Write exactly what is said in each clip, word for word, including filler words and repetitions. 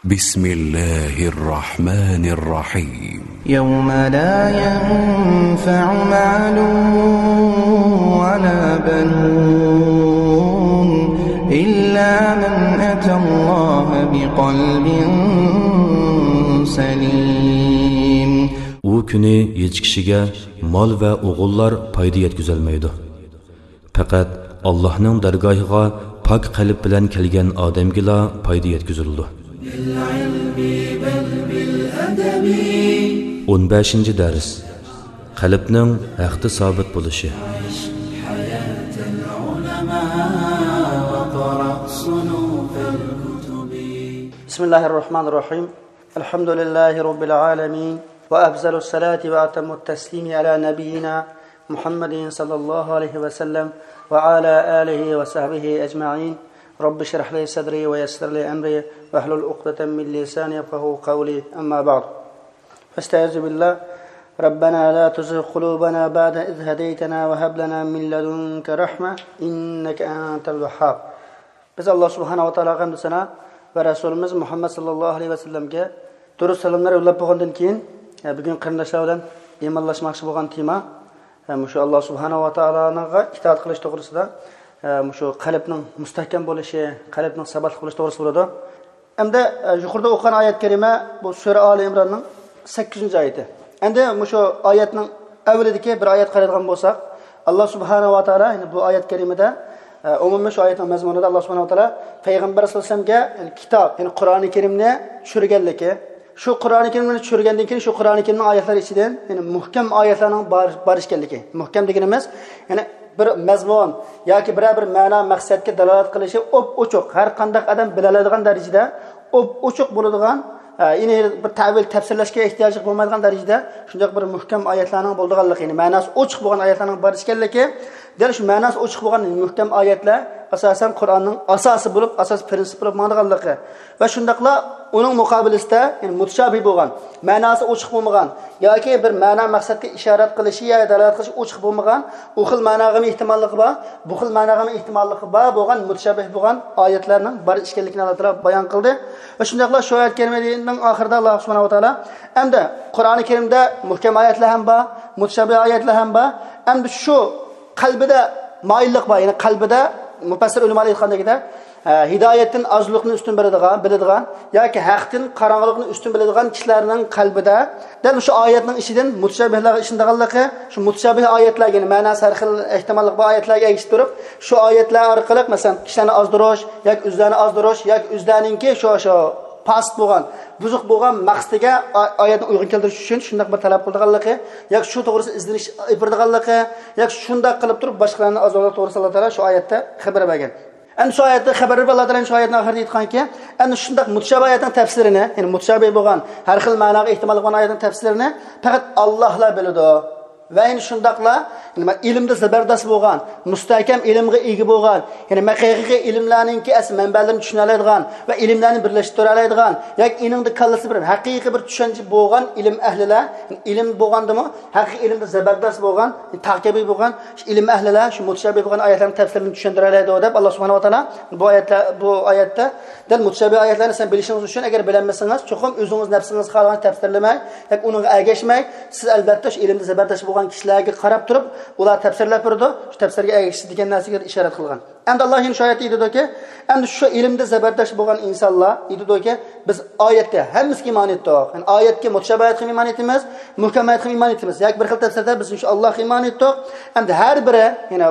بسم الله الرحمن الرحيم. يوم لا ينفع مال ولا بنون إلا من أتى الله بقلب سليم. ئۇ كۈنى ھېچ كىشىگە مال ۋە ئوغۇللار پايدا يەتكۈزەلمەيدۇ. پەقەت ئاللاھنىڭ دەرگاھىغا پاك قەلب بىلەن كەلگەن ئادەمگىلا پايدا يەتكۈزۈلىدۇ. ئون بەشىنچى دەرس. قەلبنىڭ ھەقتە سابىت بولۇشى. بسم الله الرحمن الرحيم. الحمد لله رب العالمين، وأفضل الصلاة وأتم التسليم على نبينا محمد صلى الله عليه وسلم وعلى آله وصحبه أجمعين. رب اشرح لي صدري ويسر لي أمري واحلل عقدة من لساني يفقهوا قولي. أما بعد، فاستعذ بالله. ربنا لا تزغ قلوبنا بعد إذ هديتنا وهب لنا من لدنك رحمة إنك أنت الوهاب. بىز ئاللا سۇبھانەھۇ ۋە تائالاغا ھەمدۇ سانا ۋە رەسۇلىمىز مۇھەممەد ساللاللاھۇ ئەلەيھى ۋەسەللەمگە دۇرۇت سالاملار يوللاپ بولغاندىن كېيىن، بۈگۈن قېرىنداشلار بىلەن ئىمانلاشماقچى بولغان تېما، مۇشۇ ئاللا سۇبھانەھۇ ۋە تائالاغا ئىتائەت قىلىش توغرىسىدا، مۇشۇ قەلبنىڭ مۇستەھكەم بولۇشى، قەلبنىڭ ساباتلىق بولۇشى توغرىسىدا بولىدۇ. ئەمدى، يۇقىرىدا ئوقۇغان ئايەت كەرىمە بۇ سۈرە ئالى ئىمراننىڭ سەككىزىنچى ئايىتى. ئەمدى مۇشۇ ئايەتنىڭ ئەۋۋىلىدىكى بىر ئايەتكە قارايدىغان بولساق، ئاللا سۇبھانەھۇ ۋە تائالا يەنە بۇ ئايەت كەرىمىدە، ئە، ئومۇمەن شۇ ئايەتنىڭ مەزمۇنىدا ئاللا سۇبھانەھۇ ۋە تائالا پەيغەمبەر سەللەللاھۇ ئەلەيھى ۋەسەللەمگە، يەنى كىتاب، يەنى قۇرئانى كەرىمنى چۈشۈرگەنلىكى، شۇ قۇرئانى كەرىمنى چۈشۈرگەندىن كېيىن شۇ قۇرئانى كەرىمنىڭ ئايەتلىرى ئىچىدىن، يەنى مۇھكەم ئايەتلەرنىڭ بار، بار ئىكەنلىكى. مۇھكەم دېگىنىمىز، يەنى بىر مەزمۇن ياكى بىرەر بىر مەنا مەقسەتكە دالالەت قىلىشى ئوپئوچۇق، ھەر قانداق ئادەم بىلەلەيدىغان دەرىجىدە ئوپئوچۇق بولىدىغان، ئە، يەنى بىر تەۋىل تەپسىرلەشكە ئېھتىياجلىق بولمايدىغان دەرىجىدە شۇنداق بىر مۇھكەم ئايەتلەرنىڭ بولىدىغانلىقى، يەنى مەناسى ئوچۇق بولغان ئايەتلەرنىڭ بار ئىكەنلىكى، دەل شۇ مەناسى ئوچۇق بولغان مۇھكەم ئايەتلەر ئاساسەن قۇرئاننىڭ ئاساسى بولۇپ، ئاساسىي پىرىنسىپ بولۇپ ماڭىدىغانلىقى ۋە شۇنداقلا ئۇنىڭ مۇقابىلىسىدە، يەنى مۇتشابىھ بولغان، مەناسى ئوچۇق بولمىغان ياكى بىر مەنا مەقسەتكە ئىشارەت قىلىشى يا دالالەت قىلىشى ئوچۇق بولمىغان، ئۇ خىل مەناغىمۇ ئېھتىماللىقى بار، بۇ خىل مەناغىمۇ ئېھتىماللىقى بار بولغان مۇتشابىھ بولغان ئايەتلەرنىڭ بار ئىكەنلىكىنى ئاللا تائالا بايان قىلدى. ۋە شۇنداقلا شۇ ئايەت كەرىمىنىڭ ئاخىرىدا ئاللا سۇبھانەھۇ ۋە تائالا، ئەمدى قۇرئانى كەرىمدە مۇھكەم ئايەتلەر ھەم بار، مۇتشابىھ ئايەتلەر ھەم بار. ئەمدى شۇ قەلبىدە مايىللىق بار، يەنى قەلبىدە مۇپەسسىر ئۆلىمالار ئېيتقاندەكدە، ئە، ھىدايەتتىن ئازلىقنى ئۈستۈن بىلىدىغان، بىلىدىغان ياكى ھەقتىن قاراڭغۇلۇقنى ئۈستۈن بىلىدىغان كىشىلەرنىڭ قەلبىدە دەل شۇ ئايەتنىڭ ئىچىدىن مۇتشابىھلارغا ئىشىنىدىغانلىقى، شۇ مۇتشابىھ ئايەتلەرگە، يەنى مەناسى ھەر خىل ئېھتىماللىق بار ئايەتلەرگە ئەگىشىپ تۇرۇپ، شۇ ئايەتلەر ئارقىلىق، مەسىلەن، كىشىلەرنى ئازدۇرۇش ياكى ئۆزلەرنى ئازدۇرۇش ياكى ئۆزلەرنىڭكى شۇ، شۇ پاسىت بولغان، بۇزۇق بولغان مەقسىتىگە ئا-، ئايەتنى ئۇيغۇن كەلتۈرۈش ئۈچۈن شۇنداق بىر تەلەپ قىلىدىغانلىقى ياكى شۇ توغرىسىدا ئىزدىنىش ئېلىپ بېرىدىغانلىقى ياكى شۇنداق قىلىپ تۇرۇپ باشقىلارنى ئازدۇرغانلىقى توغرىسىدا ئاللا تائالا شۇ ئايەتتە خەۋەر بەرگەن. ئەمدى شۇ ئايەتتە خەۋەر بېرىپ، ئاللا تائالا شۇ ئايەتنىڭ ئاخىرىدا ئېيتقانكى، ئەمدى شۇنداق مۇتشابىھ ئايەتنىڭ تەپسىرىنى، يەنى مۇتشابىھ بولغان، ھەر خىل مەناغا ئېھتىماللىق بولغان ئايەتنىڭ تەپسىرىنى پەقەت ئاللاھلا بىلىدۇ. ۋە يەنە شۇنداقلا نېمە، ئىلىمدە زەبەردەست بولغان، مۇستەھكەم ئىلىمغا ئىگە بولغان، يەنى ھەقىقىي ئىلىملەرنىڭكى ئەسلى مەنبەلىرىنى چۈشىنەلەيدىغان ۋە ئىلىملەرنى بىرلەشتۈرەلەيدىغان ياكى ئېنىڭدا كاللىسى بىر ھەقىقىي بىر چۈشەنچە بولغان ئىلىم ئەھلىلەر، ئىلىم بولغاندىمۇ ھەقىقىي ئىلىمدە زەبەردەست بولغان، تاكەبى بولغان شۇ ئىلىم ئەھلىلەر شۇ مۇتشابىھ بولغان ئايەتلەرنىڭ تەپسىرىنى چۈشەندۈرەلەيدۇ دەپ، ئاللا سۇبھانەھۇ ۋە تائالا بۇ ئايەتلەر، بۇ ئايەتتە دەل مۇتشابىھ ئايەتلەرنى سەن بىلىشىڭىز ئۈچۈن، ئەگەر بىلەلمىسىڭىز، چوقۇم ئۆزىڭىز نەپسىڭىز خالىغان تەپسىرلىمەي ياكى ئۇنىڭغا ئەگەشمەي، سىز ئەلبەتتە شۇ ئىلىمدە زەبەردەست بولغان كىشىلەرگە قاراپ تۇرۇپ، ئۇلار تەپسىرلەپ بېرىدۇ، شۇ تەپسىرگە ئەگىشىش دېگەن نەرسىگە ئىشارەت قىلغان. ئەمدى ئاللا يەنە شۇ ئايەتتە ئېيتىدۇكى، ئەمدى شۇ ئىلىمدە زەبەردەست بولغان ئىنسانلار ئېيتىدۇكى، بىز ئايەتكە ھەممىسىگە ئىمان ئېيتتۇق. يەنى ئايەتكە، مۇتشابىھ ئايەتكە ئىمان ئېيتىمىز، مۇھكەم ئايەتكە ئىمان ئېيتىمىز. ياكى بىر خىل تەپسىرلەردە بىز شۇ ئاللاغا ئىمان ئېيتتۇق. ئەمدى ھەر بىرى، يەنى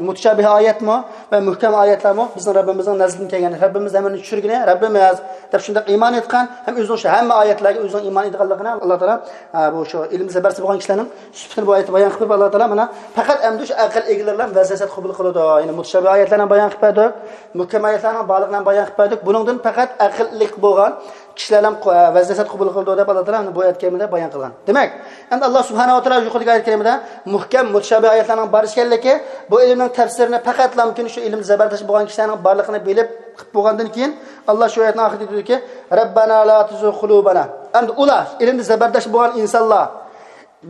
مۇتشابىھ ئايەتمۇ ۋە مۇھكەم ئايەتلەرمۇ بىزنىڭ رەببىمىزنىڭ نەزىرىدىن كەلگەن، رەببىمىز ھەممىنى چۈشۈرگىنى رەببىمىز دەپ شۇنداق ئىمان ئېيتقان ھەم ئۆزىنىڭ شۇ ھەممە ئايەتلەرگە ئۆزىنىڭ ئىمان ئېيتىدىغانلىقىنى ئاللا تائالا، ئە، بۇ شۇ ئىلىمدە زەبەردەست بولغان كىشىلەرنىڭ سۈپىتىنى بۇ ئايەتتە بايان قىلىپ بېرىپ، ئاللا تائالا مانا پەقەت ئەمدى شۇ ئەقىل ئىگىلىرىلا ۋەز نەسىھەت قوبۇل قىلىدۇ. يەنى مۇتشابىھ ئايەتلەرنى بايان قىلىپ بەردۇق، مۇھكەم ئايەتلەرنىڭ بارلىقىنى بايان قىلىپ بەردۇق. بۇنىڭدىن پەقەت ئەقىللىق بولغان كىشىلەرلا ۋەز نەسىھەت قوبۇل قىلىدۇ دەپ، ئاللا تائالا بۇ ئايەت كەرىمىدە بايان قىلغان. دېمەك، ئەمدى ئاللا سۇبھانەھۇ ۋە تائالا يۇقىرىدىكى ئايەت كەرىمىدە مۇھكەم، مۇتشابىھ ئايەتلەرنىڭ بار ئىكەنلىكى، بۇ ئىلىمنىڭ تەپسىرىنى پەقەتلا مۇمكىن شۇ ئىلىمدە زەبەردەست بولغان كىشىلەرنىڭ بارلىقىنى بىلىپ قىلىپ بولغاندىن كېيىن، ئاللا شۇ ئايەتنىڭ ئاخىرىدا دېدىكى، رەببەنا لا تۇزىغ قۇلۇبەنا. ئەمدى ئۇلار، ئىلىمدە زەبەردەست بولغان ئىنسانلار،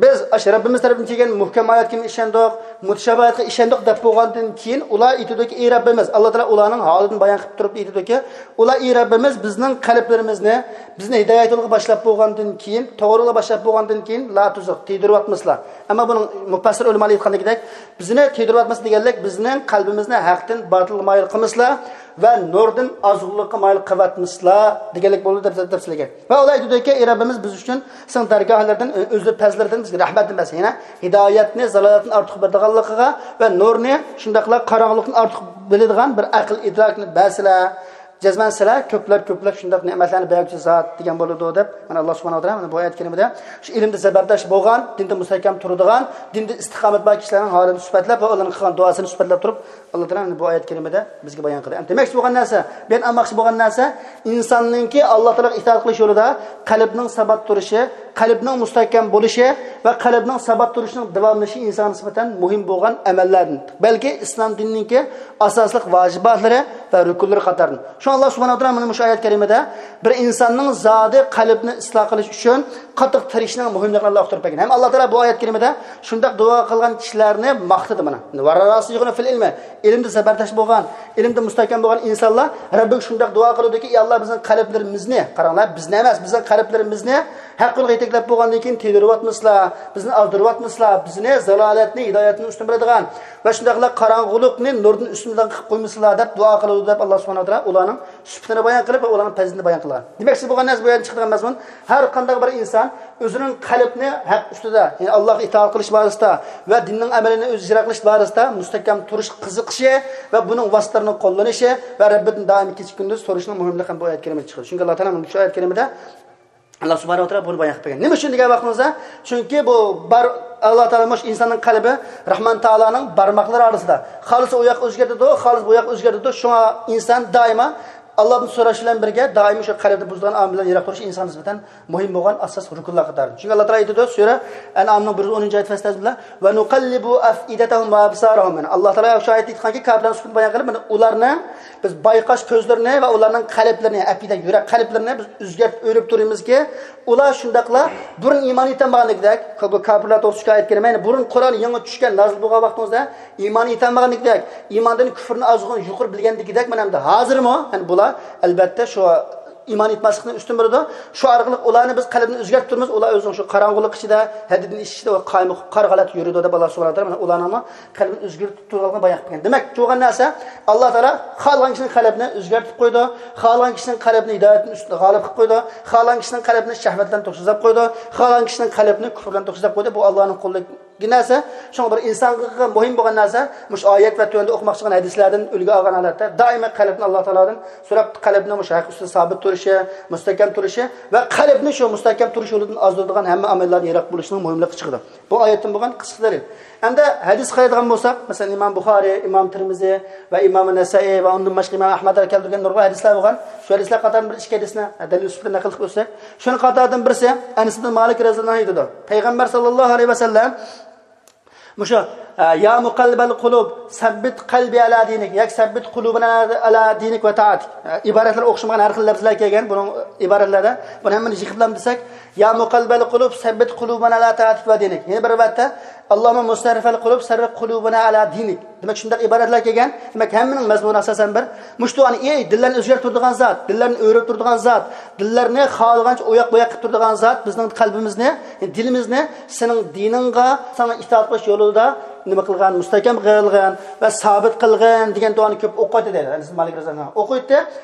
بىز ئاشۇ رەببىمىز تەرىپىدىن كەلگەن مۇھكەم ئايەتكىمۇ ئىشەندۇق، مۇتەشابىھاتقا ئىشەندۇق دەپ بولغاندىن كېيىن، ئۇلار ئېيتىدۇكى، ئى رەببىمىز، ئاللا تائالا ئۇلارنىڭ ھالىدىن بايان قىلىپ تۇرۇپ ئېيتىدۇكى، ئۇلار، ئى رەببىمىز، بىزنىڭ قەلبلىرىمىزنى، بىزنى ھىدايەت يولىغا باشلاپ بولغاندىن كېيىن، توغرا يولغا باشلاپ بولغاندىن كېيىن، لا تۇزىغ، تىيدۈرۈۋاتمىسىلا. ئەمما بۇنىڭ مۇپەسسىر ئۆلىمالار ئېيتقاندىكىدەك، بىزنى تىيدۈرۈۋاتمىسا دېگەنلىك، بىزنىڭ قەلبىمىزنى ھەقتىن باتىلغا مايىل قىلمىسىلا ۋە نۇردىن ئازغۇنلۇققا مايىل قىلىۋاتمىسىلا دېگەنلىك بولىدۇ دەپ، دەپ سۆزلىگەن. ۋە ئۇلار ئېيتىدۇكى، ئى رەببىمىز، بىز ئۈچۈن سېنىڭ دەرگاھلىرىدىن، ئۆزلىرى پەزلىرىدىن بىزگە رەھمەتنى بەرسە، يەنە ھىدايەتنى زالالەتتىن ئارتۇق بىلىدىغانلىقىغا ۋە نۇرنى شۇنداقلا قاراڭغۇلۇقتىن ئارتۇق بىلىدىغان بىر ئەقىل ئىدراكنى بەرسىلە، جەزمەن سىلەر كۆپلەپ كۆپلەپ شۇنداق نېمەتلەرنى بەرگۈچى زات دېگەن بولىدۇ دەپ، مانا، ئاللا سۇبھانەھۇ ۋە تائالا مانا بۇ ئايەت كەرىمىدە شۇ ئىلىمدە زەبەردەش بولغان، دىندا مۇستەھكەم تۇرىدىغان، دىندا ئىستىقامەت بار كىشىلەرنىڭ ھالىنى سۈپەتلەپ ۋە ئۇلارنىڭ قىلغان دۇئاسىنى سۈپەتلەپ تۇرۇپ، ئاللا تائالا مانا بۇ ئايەت كەرىمىدە بىزگە بايان قىلدى. ئەمدى دېمەكچى بولغان نەرسە، بۇ يەردە ئاڭلىماقچى بولغان نەرسە، ئىنساننىڭكى ئاللا تائالاغا ئىتائەت قىلىش يولىدا قەلبنىڭ سابات تۇرۇشى، قەلبنىڭ مۇستەھكەم بولۇشى ۋە قەلبنىڭ سابات تۇرۇشىنىڭ داۋاملىشىشى ئىنسانغا نىسبەتەن مۇھىم بولغان ئەمەللەردىن، بەلكى ئىسلام دىنىنىڭكى ئاساسلىق ۋاجىباتلىرى ۋە رۇكۇنلىرى قاتارىدىن. شۇڭا ئاللا سۇبھانەھۇ ۋە تائالا مانا مۇشۇ ئايەت كەرىمىدە، بىر ئىنساننىڭ زادى قەلبىنى ئىسلاھ قىلىش ئۈچۈن قاتتىق تىرىشىشنىڭ مۇھىملىقىنى ئاللا ئۇقتۇرۇپ بەرگەن. ھەم ئاللا تائالا بۇ ئايەت كەرىمىدە شۇنداق دۇئا قىلغان كىشىلەرنى ماختىدى مانا. ۋەرراسىخۇنە فىل ئىلمى، ئىلىمدە زەبەردەش بولغان، ئىلىمدە مۇستەھكەم بولغان ئىنسانلار رەببىگە شۇنداق دۇئا قىلىدۇكى، ئى ئاللا، بىزنىڭ قەلبلىرىمىزنى، قاراڭلار، بىزنى ئەمەس، بىزنىڭ قەلبلىرىمىزنى ھەق يولغا يېتەكلەپ بولغاندىن كېيىن تىيدۇرۇۋاتمىسىلا، بىزنى ئازدۇرۇۋاتمىسىلا، بىزنى زالالەتنى، ھىدايەتتىن ئۈستۈن بىلىدىغان ۋە شۇنداقلا قاراڭغۇلۇقنى نۇردىن ئۈستۈن بىلىدىغان قىلىپ قويمىسىلا دەپ دۇئا قىلىدۇ دەپ، ئاللا سۇبھانەھۇ ۋە تائالا ئۇلارنىڭ سۈپىتىنى بايان قىلىپ ۋە ئۇلارنىڭ پەزىلىتىنى بايان قىلغان. دېمەكچى بولغان نەرسە، بۇ يەردىن چىقىدىغان مەزمۇن، ھەر قانداق بىر ئىنسان ئۆزىنىڭ قەلبىنى ھەق ئۈستىدە، يەنى ئاللاغا ئىتائەت قىلىش بارىسىدا ۋە دىننىڭ ئەمەلىنى ئۆزى ئىجرا قىلىش بارىسىدا مۇستەھكەم تۇرۇشقا قىزىقىشى ۋە بۇنىڭ ۋاسىتىلىرىنى قوللىنىشى ۋە رەببىدىن دائىم كېچە كۈندۈز سورىشىنىڭ مۇھىملىقى ھەم بۇ ئايەت كەرىمىدىن چىقىدۇ. چۈنكى ئاللا تائالا مۇشۇ ئايەت كەرىمىدە، ئاللا سۇبھانەھۇ ۋە تائالا بۇنى بايان قىلىپ بەرگەن. نېمە ئۈچۈن دېگەن ۋاقتىمىزدا، چۈنكى بۇ بار، ئاللا تائالا مۇشۇ ئىنساننىڭ قەلبى رەھمان تائالانىڭ بارماقلىرى ئارىسىدا. خالىسا ئۇ ياققا ئۆزگەرتىدۇ، خالىسا بۇ ياققا ئۆزگەرتىدۇ. شۇڭا ئىنسان دائىما ئاللادىن سوراش بىلەن بىرگە، دائىم شۇ قەلبىنى بۇزىدىغان ئامىللارنى يىراق تۇرۇش ئىنسانغا نىسبەتەن مۇھىم بولغان ئاساسلىق رۇكۇنلار قاتارىدىن. چۈنكى ئاللا تائالا ئېيتىدۇ، سۈرە ئەنئامنىڭ بىر يۈز ئونىنچى ئايەت، فەستەزبىللا، ۋە نۇقەللىبۇ ئەفئىدەتەھۇم ۋە ئەبسارەھۇم. يەنى ئاللا تائالا شۇ ئايەتتە ئېيتقانكى، كاپىرلارنىڭ سۈپىتىنى بايان قىلىپ، مانا ئۇلارنى بىز بايقاش كۆزلىرىنى ۋە ئۇلارنىڭ قەلبلىرىنى، ئەپئىدە، يۈرەك قەلبلىرىنى بىز ئۆزگەرتىپ ئۆرۈپ تۇرىمىزكى، ئۇلار شۇنداقلا بۇرۇن ئىمان ئېيتالمىغاندەكدەك، بۇ كاپىرلار توغرىسىدا شۇ ئايەت كەرىمە، يەنى بۇرۇن قۇرئان يېڭى چۈشكەن، نازىل بولغان ۋاقتىڭىزدا ئىمان ئېيتالمىغاندەكدەك، ئىماندىن كۈفرنى ئازغۇن يۇقىرى بىلگەندىكىدەك، مانا ئەمدى ھازىرمۇ، يەنى بۇلار ئەلبەتتە شۇ ئىمان ئېيتماسلىقنى ئۈستۈن بېرىدۇ. شۇ ئارقىلىق ئۇلارنى بىز قەلبىنى ئۆزگەرتىپ تۇرىمىز، ئۇلار ئۆزىنىڭ شۇ قاراڭغۇلۇق ئىچىدە، ھەددىدىن ئېشىش ئىچىدە، قايمۇقۇپ قارا غەلەتتە يۈرىدۇ دەپ، ئاللا سۇبھانەھۇ ۋە تائالا مانا ئۇلارنىڭمۇ قەلبىنى ئۆزگەرتىپ تۇرغانلىقىنى بايان قىلىپ بەرگەن. دېمەك، بولغان نەرسە، ئاللا تائالا خالىغان كىشىنىڭ قەلبىنى ئۆزگەرتىپ قويىدۇ، خالىغان كىشىنىڭ قەلبىنى ھىدايەتتىن ئۈستىدە غالىب قىلىپ قويىدۇ، خالىغان كىشىنىڭ قەلبىنى شەھۋەتلەردىن توسۇزلاپ قويىدۇ، خالىغان كىشىنىڭ قەلبىنى كۇفرىدىن توسۇزلاپ قويىدۇ. بۇ ئاللانىڭ قولىدىكى نەرسە. شۇڭا بىر ئىنسانغا مۇھىم بولغان نەرسە، مۇشۇ ئايەت ۋە تۆۋەندە ئوقۇماقچى بولغان ھەدىسلەردىن ئۈلگە ئالغان ھالەتتە دائىمەن قەلبىنى ئاللا تائالادىن سوراپ، قەلبىنى مۇشۇ ھەق ئۈستىدە سابىت تۇرۇشى، مۇستەھكەم تۇرۇشى ۋە قەلبىنى شۇ مۇستەھكەم تۇرۇش يولىدىن ئازدۇرىدىغان ھەممە ئامىللاردىن يىراق بولۇشنىڭ مۇھىملىقى چىقىدۇ. بۇ ئايەتتىن بولغان قىسقا دەلىل. ئەمدى ھەدىس قارايدىغان بولساق، مەسىلەن، ئىمام بۇخارىي، ئىمام تىرمىزى ۋە ئىمام نەسائىي ۋە ئۇندىن باشقا ئىمام ئەھمەدلەر كەلتۈرگەن نۇرغۇن ھەدىسلەر بولغان. شۇ ھەدىسلەر قاتارىدىن بىر ئىككى ھەدىسنى دەلىل سۈپىتىدە نەقىل قىلىپ ئۆتسەك، شۇنىڭ قاتارىدىن بىرسى، ئەنەس ئىبن مالىك رەزىياللاھۇ ئەنھۇ ئېيتىدۇ، پەيغەمبەر ساللاللاھۇ ئەلەيھى ۋەسەللەم مۇشۇ، ئە، يا مۇقەللىبەل قۇلۇب، سەببىت قەلبى ئەلا دىنىك، ياكى سەببىت قۇلۇبىنا ئەلا دىنىك ۋە تائەتىك. ئە، ئىبارەتلەر ئوخشىمىغان ھەر خىل لەپزلەر كەلگەن بۇنىڭ ئىبارەتلەردە. بۇنى ھەممىنى يىغىپلام دېسەك، يا مۇقەللىبەل قۇلۇب، سەببىت قۇلۇبىنا ئەلا تائەتىك ۋە دىنىك. يەنە بىر رىۋايەتتە، ئاللاھۇممە مۇسەررىفەل قۇلۇب، سەررىف قۇلۇبىنا ئەلا دىنىك. دېمەك، شۇنداق ئىبارەتلەر كەلگەن. دېمەك، ھەممىنىڭ مەزمۇنى ئاساسەن بىر. مۇشۇ دۇئانى، ئەي، دىللارنى ئۆزگەرتىپ تۇرىدىغان زات، دىللارنى ئۆرۈپ تۇرىدىغان زات، دىللارنى خالىغانچە ئوياق-بوياق قىلىپ تۇرىدىغان زات، بىزنىڭ قەلبىمىزنى، دىلىمىزنى سېنىڭ دىنىڭغا، ساڭا ئىتائەت قىلىش يولىدا نېمە قىلغىن، مۇستەھكەم قىلغىن ۋە سابىت قىلغىن دېگەن دۇئانى كۆپ ئوقۇيتتى دەيدۇ. ئەنەس مالىك رەزىياللاھۇ ئەنھۇ ئوقۇيتتى.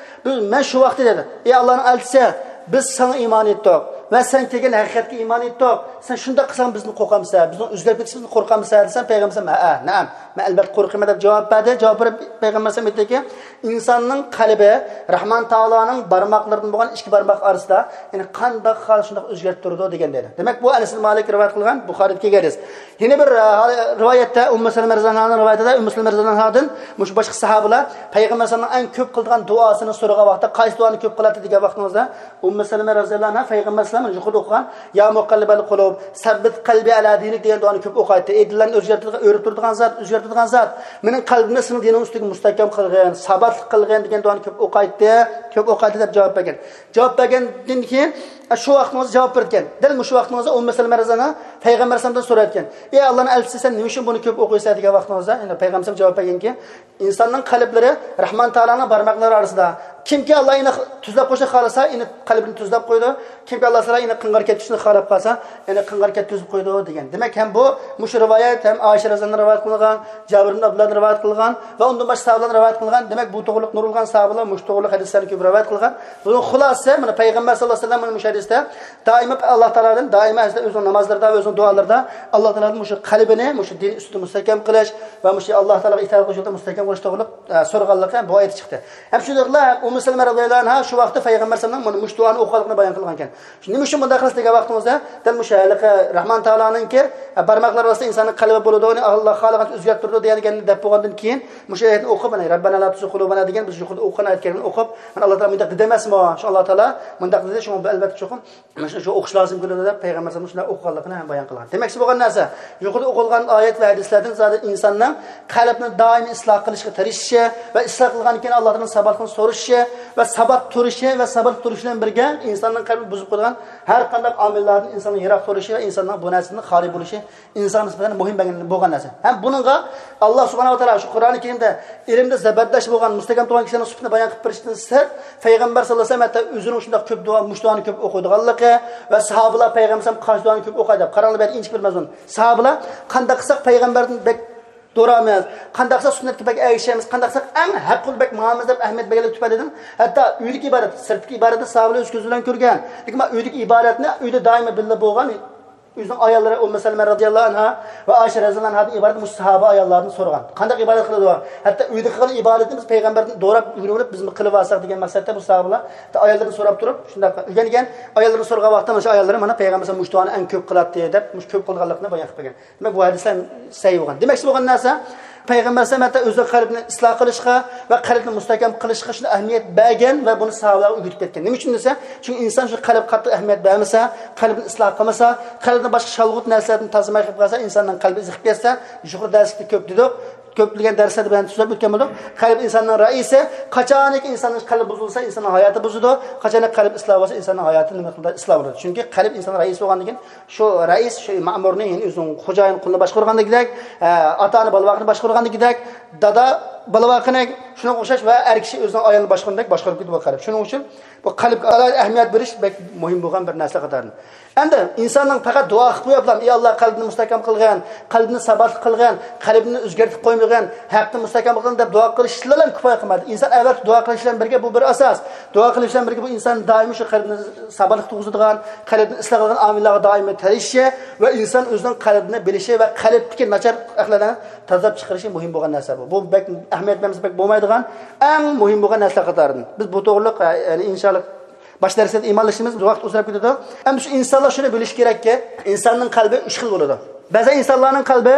بىز، مەن شۇ ۋاقىتتا دەيدۇ، ئەي ئاللانىڭ ئەلچىسى، بىز ساڭا ئىمان ئېيتتۇق ۋە سەن كەلگەن ھەقىقەتكە ئىمان ئېيتتۇق. سەن شۇنداق قىلساڭ بىزنى قورقامسەن؟ بىزنىڭ ئۆزگەرىپ كېتىشىمىزدىن قورقامسەن؟ ھەئە، نەئەم، مەن ئەلبەتتە قورقىمەن دەپ جاۋاب بەردى. جاۋاب بېرىپ پەيغەمبەر ئەلەيھىسسالام ئېيتتىكى، ئىنساننىڭ قەلبى رەھمان تائالانىڭ بارماقلىرىدىن بولغان ئىككى بارماق ئارىسىدا، يەنى قانداق خالىسا شۇنداق ئۆزگەرتىپ تۇرىدۇ دېگەن دەيدۇ. دېمەك، بۇ ئەنەس ئىبن مالىك رىۋايەت قىلغان، بۇخارىدىكى ھەدىس. يەنە بىر، ئە، رىۋايەتتە ئۇممۇ سەلەمە رەزىياللاھۇ ئەنھانىڭ رىۋايىتىدە، ئۇممۇ سەلەمە رەزىياللاھۇ ئەنھادىن مۇشۇ باشقا ساھابىلار پەيغەمبەر ئەلەيھىسسالامنىڭ ئەڭ كۆپ قىلىدىغان دۇئاسىنى سورىغان ۋاقىتتا، قايسى دۇئانى كۆپ قىلاتتى دېگەن ۋاقتىڭىزدا، ئۇممۇ سەلەمە رەزىياللاھۇ ئەنھا پەيغەمبەر مانا يۇقىرىدا ئوقۇغان، يا مۇقەللىبەل قۇلۇب، سەببىت قەلبى ئەلا دىنىك دېگەن دۇئانى كۆپ ئوقۇيتتى. ئەي دىللارنى ئۆزگەرتىدىغان، ئۆرۈپ تۇرىدىغان زات، ئۆزگەرتىدىغان زات، مېنىڭ قەلبىمنى سېنىڭ دىنىڭ ئۈستىگە مۇستەھكەم قىلغىن، ساباتلىق قىلغىن دېگەن دۇئانى كۆپ ئوقۇيتتى، كۆپ ئوقۇيتتى دەپ جاۋاب بەرگەن. جاۋاب بەرگەندىن كېيىن، شۇ ۋاقتىڭىزدا جاۋاب بېرىدىكەن. دەل مۇشۇ ۋاقتىڭىزدا ئۇممۇ سەلمە رەزىياللاھۇ ئەنھا پەيغەمبەر ئەلەيھىسسالامدىن سورايدىكەن، ئەي ئاللانىڭ ئەلچىسى، سەن نېمە ئۈچۈن بۇنى كۆپ ئوقۇيسەن دېگەن ۋاقتىڭىزدا، يەنى پەيغەمبەر ئەلەيھىسسالام جاۋاب بەرگەنكى، ئىنساننىڭ قەلبلىرى رەھمان تائالانىڭ بارماقلىرى ئارىسىدا. كىمكى ئاللا ئېنى تۈزلەپ قويۇشنى خالىسا، ئېنى قەلبىنى تۈزلەپ قويىدۇ. كىمكى ئاللا تائالا ئېنى قىڭغىر كەتكۈزۈشنى خالاپ قالسا، ئېنى قىڭغىر كەتكۈزۈپ قويىدۇ دېگەن. دېمەك، ھەم بۇ، مۇشۇ رىۋايەت ھەم ئائىشە رەزىياللاھۇ ئەنھادىن رىۋايەت قىلىنغان، جابىر ئىبن ئابدۇللاھدىن رىۋايەت قىلىنغان ۋە ئۇندىن باشقا ساھابىلەردىن رىۋايەت قىلىنغان. دېمەك، بۇ توغرىلىق نۇرغۇنلىغان ساھابىلەر مۇشۇ توغرىلىق ھەدىسلەرنى كۆپ رىۋايەت قىلغان. بۇنىڭ خۇلاسىسى، مانا پەيغەمبەر ساللاللاھۇ ئەلەيھى ۋەسەللەم مۇشۇ ھەدىستە دائىما ئاللا تائالادىن، دائىما ئۆزىنىڭ نامازلىرىدا، ئۆزىنىڭ دۇئالىرىدا ئاللا تائالادىن مۇشۇ قەلبىنى مۇشۇ دىن ئۈستىدە مۇستەھكەم قىلىش ۋە مۇشۇ ئاللا تائالاغا ئىتائەت قىلىش يولىدا مۇستەھكەم قىلىش توغرىلىق، ئە، سورىغانلىقى بۇ ئايەت چىقتى. ھەم شۇ ئۇممۇ سەلمە رەزىياللاھۇ ئەنھا شۇ ۋاقىتتا پەيغەمبەر ئەلەيھىسسالامنىڭ مانا مۇشۇ دۇئانى ئوقۇغانلىقىنى بايان قىلغان ئىكەن. نېمە ئۈچۈن بۇنداق قىلىسىز دېگەن ۋاقتىمىزدا، دەل مۇشۇ ھېلىقى رەھمان تائالانىڭكى، ئە، بارماقلار ئارىسىدا ئىنساننىڭ قەلبى بولىدۇ، ئۇنى ئاللا خالىغانچە ئۆزگەرتىپ تۇرىدۇ دېگەننى دەپ بولغاندىن كېيىن، مۇشۇ ئايەتنى ئوقۇپ، مانا، رەببەنا لا تۇزىغ قۇلۇبەنا دېگەن بىز يۇقىرىدا ئوقۇغان ئايەت كەرىمىنى ئوقۇپ، مانا، ئاللا تائالا مۇنداق دېدى ئەمەسمۇ؟ شۇ ئاللا تائالا مۇنداق دېدى، شۇڭا بۇ ئەلۋەتتە چوقۇم مانا شۇ، شۇ ئوقۇش لازىم كېلىدۇ دەپ پەيغەمبەر ئەلەيھىسسالام شۇنداق ئوقۇغانلىقىنى ھەم بايان قىلغان. دېمەكچى بولغان نەرسە، يۇقىرىدا ئوقۇلغان ئايەت ۋە ھەدىسلەردىن زادى ئىنساننىڭ قەلبىنى دائىم ئىسلاھ قىلىشقا تىرىشىشى ۋە ئىسلاھ قىلغاندىن كېيىن ئاللا تائالادىن ساباتلىقنى سورىشى ۋە سابات تۇرۇشى ۋە سابات تۇرۇش بىلەن بىرگە ئىنساننىڭ قەلبىنى بۇزۇپ قويىدىغان ھەر قانداق ئامىللاردىن ئىنساننىڭ يىراق تۇرۇشى ۋە ئىنساننىڭ بۇ نەرسىدىن خالىي بولۇشى ئىنسانغا نىسبەتەن مۇھىم بەلگىلىنىپ بولغان نەرسە. ھەم بۇنىڭغا ئاللا سۇبھانەھۇ ۋە تائالا شۇ قۇرئانى كەرىمدە ئىلىمدە زەبەردەش بولغان، مۇستەھكەم تۇرغان كىشىلەرنىڭ سۈپىتىنى بايان قىلىپ بېرىشتىن سىرت، پەيغەمبەر ساللاللاھۇ ئەلەيھى ۋەسەللەم ھەتتا ئۆزىنىڭ شۇنداق كۆپ دۇئا، مۇشۇ دۇئانى كۆپ ئوقۇيدىغانلىقى ۋە ساھابىلار پەيغەمبەر ئەلەيھىسسالام قانچە دۇئانى كۆپ ئوقۇي دەپ. قاراڭلار، بۇ يەردە ئىنچىكە بىر مەزمۇن. ساھابىلار قانداق قىلساق پەيغەمبەردىن بەك دورامىز، قانداق قىلساق سۈننەتكە بەك ئەگىشىمىز، قانداق قىلساق ئەڭ ھەق يولدا بەك ماڭىمىز دەپ ئەھمىيەت بەرگەنلىك تۈپەيلىدىن، ھەتتا ئۆيدىكى ئىبادەت، سىرتتىكى ئىبادەتنى ساھابىلار ئۆز كۆزى بىلەن كۆرگەن. لېكىن مانا ئۆيدىكى ئىبادەتنى ئۆيدە دائىما بىللە بولغان ئۆزىنىڭ ئاياللىرى ئۇممۇ سەلمە رەزىياللاھۇ ئەنھا ۋە ئائىشە رەزىياللاھۇ ئەنھادىن ئىبارەت مۇشۇ ساھابە ئاياللاردىن سورىغان. قانداق ئىبادەت قىلىدۇ؟ ھەتتا ئۆيدە قىلغان ئىبادىتىنى بىز پەيغەمبەردىن دوراپ ئۆگىنىۋېلىپ، بىزمۇ قىلىۋالساق دېگەن مەقسەتتە بۇ ساھابىلار ھەتتا ئاياللىرىدىن سوراپ تۇرۇپ، شۇنداق ئۆگەنگەن. ئاياللىرىدىن سورىغان ۋاقىتتا مانا شۇ ئاياللىرى مانا پەيغەمبەر مۇشۇ دۇئانى ئەڭ كۆپ قىلاتتى دەپ، مۇشۇ كۆپ قىلغانلىقىنى بايان قىلىپ بەرگەن. دېمەك، بۇ ھەدىسلەر سەھىھ بولغان. دېمەكچى بولغان نەرسە، پەيغەمبەر ئەلەيھىسسالام ھەتتا ئۆزىنىڭ قەلبىنى ئىسلاھ قىلىشقا ۋە قەلبنى مۇستەھكەم قىلىشقا شۇنداق ئەھمىيەت بەرگەن ۋە بۇنى ساھابىلەرگە ئۆگىتىپ كەتكەن. نېمە ئۈچۈن دېسە، چۈنكى ئىنسان شۇ قەلبكە قاتتىق ئەھمىيەت بەرمىسە، قەلبىنى ئىسلاھ قىلمىسا، قەلبىنى باشقا شالغۇت نەرسىلەردىن تازىلىماي قېلىپ قالسا، ئىنساننىڭ قەلبى ئېزىپ كەتسە، يۇقىرى دەرسلىكتە كۆپ دېدۇق، كۆپلىگەن دەرسلەردە بىلەن سۆزلەپ ئۆتكەن بولدۇق. قەلب ئىنساننىڭ رەئىسى، قاچانكى ئىنساننىڭ قەلبى بۇزۇلسا، ئىنساننىڭ ھاياتى بۇزۇلىدۇ. قاچانكى قەلب ئىسلاھ بولسا، ئىنساننىڭ ھاياتى نېمە مىقدار ئىسلاھ بولىدۇ. چۈنكى قەلب ئىنسان رەئىس بولغاندىن كېيىن، شۇ رەئىس، شۇ مەمۇرنى، يەنى ئۆزىنىڭ خوجايىن قۇلىنى باشقۇرغاندىكىدەك، ئە، ئاتا-ئانا بالا-ۋاقىنى باشقۇرغاندىكىدەك، دادا بالا-ۋاقىنى، شۇنىڭغا ئوخشاش ۋە ئەر كىشى ئۆزىنىڭ ئايالىنى باشقۇرغاندەك باشقۇرۇپ كېتىدۇ بۇ قەلب. شۇنىڭ ئۈچۈن بۇ قەلبكە ئالاھىدە ئەھمىيەت بېرىش بەك مۇھىم بولغان بىر نەرسە قاتارىدىن. ئەمدى ئىنساننىڭ پەقەت دۇئا قىلىپ قويۇپلا، ئى ئاللا، قەلبىنى مۇستەھكەم قىلغىن، قەلبىنى ساباتلىق قىلغىن، قەلبىنى ئۆزگەرتىپ قويمىغىن، ھەقنى مۇستەھكەم قىلغىن دەپ دۇئا قىلىش بىلەن كۇپايە قىلمايدۇ. ئىنسان ئەلۋەتتە دۇئا قىلىش بىلەن بىرگە، بۇ بىر ئاساس. دۇئا قىلىش بىلەن بىرگە بۇ ئىنسان دائىم شۇ قەلبىنى ساباتلىق تۇرغۇزىدىغان، قەلبىنى ئىسلاھ قىلىدىغان ئامىللارغا دائىم تىرىشىشى ۋە ئىنسان ئۆزىنىڭ قەلبىنى بىلىشى ۋە قەلبتىكى ناچار ئەخلاقلارنى تازىلاپ چىقىرىشى مۇھىم بولغان نەرسە بۇ. بۇ بەك ئەھمىيەت بەرمىسە بەك بولمايدىغان، ئەڭ مۇھىم بولغان نەرسىلەر قاتارىدىن. بىز بۇ توغرىلىق، ئە، يەنى ئىنشاللا باش دەرسلەردە ئىمانلىشىمىز، ۋاقىت ئۇزىراپ كېتىدۇ. ئەمدى شۇ ئىنسانلار شۇنى بىلىشى كېرەككى، ئىنساننىڭ قەلبى ئۈچ خىل بولىدۇ. بەزەن ئىنسانلارنىڭ قەلبى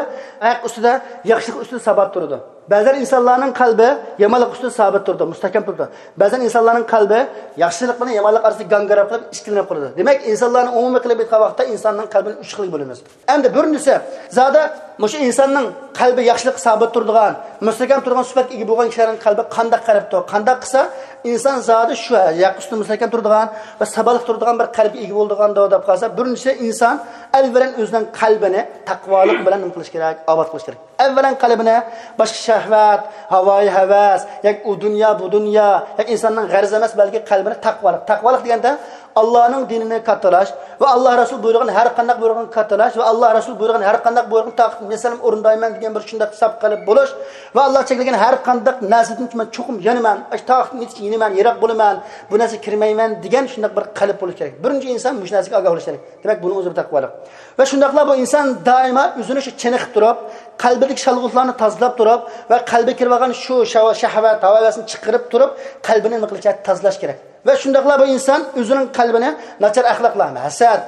ھەق ئۈستىدە، ياخشىلىق ئۈستىدە سابات تۇرىدۇ. بەزەن ئىنسانلارنىڭ قەلبى يامانلىق ئۈستىدە سابىت تۇرىدۇ، مۇستەھكەم تۇرىدۇ. بەزەن ئىنسانلارنىڭ قەلبى ياخشىلىق بىلەن يامانلىق ئارىسىدا گاڭگىراپ قېلىپ، ئىككىلىنىپ قالىدۇ. دېمەك، ئىنسانلارنى ئومۇمىي قىلىپ ئېيتقان ۋاقىتتا ئىنساننىڭ قەلبىنى ئۈچ خىلگە بۆلىمىز. ئەمدى بىرىنچىسى، زادى مۇشۇ ئىنساننىڭ قەلبى ياخشىلىققا سابىت تۇرىدىغان، مۇستەھكەم تۇرىدىغان سۈپەتكە ئىگە بولغان كىشىلەرنىڭ قەلبى قانداق قەلبتۇر؟ قانداق قىلسا ئىنسان زادى شۇ ھەق ئۈستىدە مۇستەھكەم تۇرىدىغان ۋە ساباتلىق تۇرىدىغان بىر قەلبكە ئىگە بولىدىغاندۇ دەپ قالسا، بىرىنچىسى ئىنسان ئەۋۋەلەن ئۆزىنىڭ قەلبىنى تەقۋالىق بىلەن نېمە قىلىش كېرەك؟ ئاۋات قىلىش كېرەك. ئەۋۋەلەن قەلبىنى باشقا شەھۋەت، ھاۋايى ھەۋەس، ياكى ئۇ دۇنيا، بۇ دۇنيا، ياكى ئىنساننىڭ غەرىزى ئەمەس، بەلكى قەلبىنى تەقۋالىق. تەقۋالىق دېگەندە، ئاللانىڭ دىنىنى كاتتىلاش ۋە ئاللا رەسۇل بۇيرۇغان ھەر قانداق بۇيرۇقنى كاتتىلاش ۋە ئاللا رەسۇل بۇيرۇغان ھەر قانداق بۇيرۇقنى تاقىتىم يەتسەم ئورۇندايمەن دېگەن بىر شۇنداق ساپ قەلب بولۇش ۋە ئاللا چەكلىگەن ھەر قانداق نەرسىدىن مەن چوقۇم يانىمەن، ئاشۇ تاقىتىم يېتىچە يېنىمەن، يىراق بولىمەن، بۇ نەرسىگە كىرمەيمەن دېگەن شۇنداق بىر قەلب بولۇش كېرەك. بىرىنچى ئىنسان مۇشۇ نەرسىگە ئاگاھ بولۇش كېرەك. دېمەك، بۇنىڭ ئۆزى بىر تەقۋالىق. ۋە شۇنداقلا بۇ ئىنسان دائىما ئۆزىنى شۇ چېنىقىپ تۇرۇپ، قەلبىدىكى شالغۇتلارنى تازىلاپ تۇرۇپ ۋە قەلبىگە كىرىۋالغان شۇ شەھۋە-، شەھۋەت، ھاۋا-ھەۋەسنى چىقىرىپ تۇرۇپ، قەلبىنى نېمە قىلىشى، تازىلاش كېرەك. ۋە شۇنداقلا بۇ ئىنسان ئۆزىنىڭ قەلبىنى ناچار ئەخلاقلار، ھەسەت،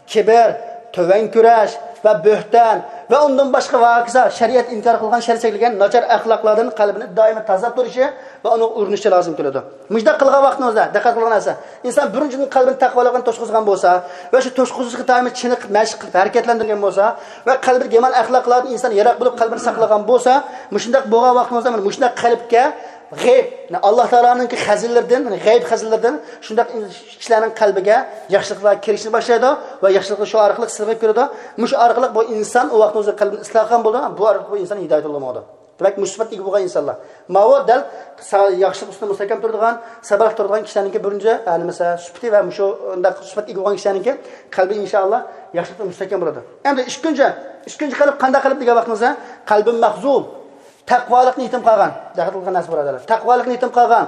كىبىر، تۆۋەن كۆرۈش ۋە بۆھتان ۋە ئۇندىن باشقا ۋە ھاكازا شەرىئەت ئىنكار قىلغان، شەرىئەت چەكلىگەن ناچار ئەخلاقلاردىن قەلبىنى دائىما تازىلاپ تۇرۇشى ۋە ئۇنىڭغا ئۇرۇنۇشى لازىم كېلىدۇ. مۇشۇنداق قىلغان ۋاقتىمىزدا دىققەت قىلغان نەرسە، ئىنسان بىرىنچىدىن قەلبىنى تەقۋالىققا توسقۇزغان بولسا ۋە شۇ توسقۇزۇشقا دائىم چېنىقىپ، مەشىق قىلىپ ھەرىكەتلەندۈرگەن بولسا ۋە قەلبىدە يامان ئەخلاقلاردىن ئىنسان يىراق بولۇپ، قەلبىنى ساقلىغان بولسا، مۇشۇنداق بولغان ۋاقتىمىزدا مانا مۇشۇنداق قەلبكە غەيب، ئاللا تائالانىڭكى خەزىنىلىرىدىن، غەيب خەزىنىلىرىدىن شۇنداق كىشىلەرنىڭ قەلبىگە ياخشىلىقلار كىرىشنى باشلايدۇ ۋە ياخشىلىقلار شۇ ئارقىلىق سىغىپ كىرىدۇ. مۇشۇ ئارقىلىق بۇ ئىنسان ئۇ ۋاقتىمىزدا قەلبىنى ئىسلاھ قىلغان بولىدۇ، بۇ ئارقىلىق بۇ ئىنسان ھىدايەت يولىغا ماڭىدۇ. دېمەك، مۇشۇ سۈپەتكە ئىگە بولغان ئىنسانلار. ماۋۇ دەل سا-، ياخشىلىق ئۈستىدە مۇستەھكەم تۇرىدىغان، سابىرلىق تۇرىدىغان كىشىلەرنىڭكى بىرىنچى، ھە، نېمىسى، سۈپىتى ۋە مۇشۇ ئۇنداق سۈپەتكە ئىگە بولغان كىشىلەرنىڭكى قەلبى، ئىنشائاللا، ياخشىلىقتا مۇستەھكەم بولىدۇ. ئەمدى ئىككىنچى، ئىككىنچى قەلب قانداق قەلب دېگەن ۋاقتىمىزدا، قەلبى مەخزۇل، تەقۋالىقنى يېتىم قالغان. دىققەت قىلغان نەرسە بۇرادەرلەر. تەقۋالىقنى يېتىم قالغان.